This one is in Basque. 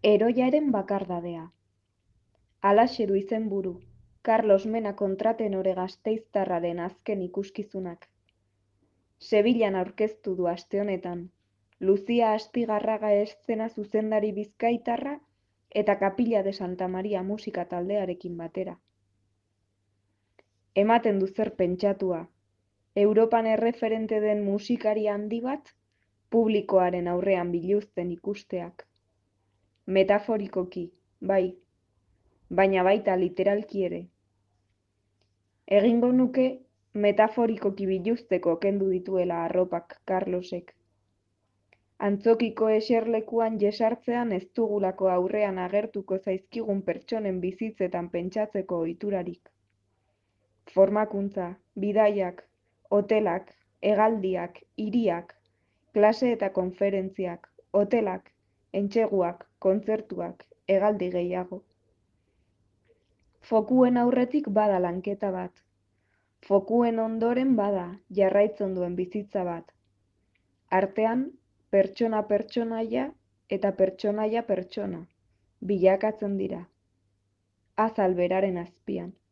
Heroiaren bakardadea. Halaxe du izenburu, Carlos Mena kontratenore gasteiztarraren azken ikuskizunak. Sevillan aurkeztu du aste honetan, Lucia Astigarraga eszena zuzendari bizkaitarra eta Kapilla de Santa Maria musika taldearekin batera. Ematen du zer pentsatua, Europan erreferente den musikari handi bat, publikoaren aurrean biluzten ikusteak. Metaforikoki, bai, baina baita literalki ere. Egingo nuke metaforikoki biluzteko kendu dituela arropak Carlosek. Antzokiko eserlekuan jesartzean ez dugulako aurrean agertuko zaizkigun pertsonen bizitzetan pentsatzeko ohiturarik. Formakuntza, bidaiak, hotelak, hegaldiak, hiriak, klase eta konferentziak, hotelak, entseguak, kontzertuak, hegaldi gehiago. Fokuen aurretik bada lanketa bat. Fokuen ondoren bada jarraitzen duen bizitza bat. Artean, pertsona pertsonaia eta pertsonaia pertsona bilakatzen dira. Azal beraren azpian.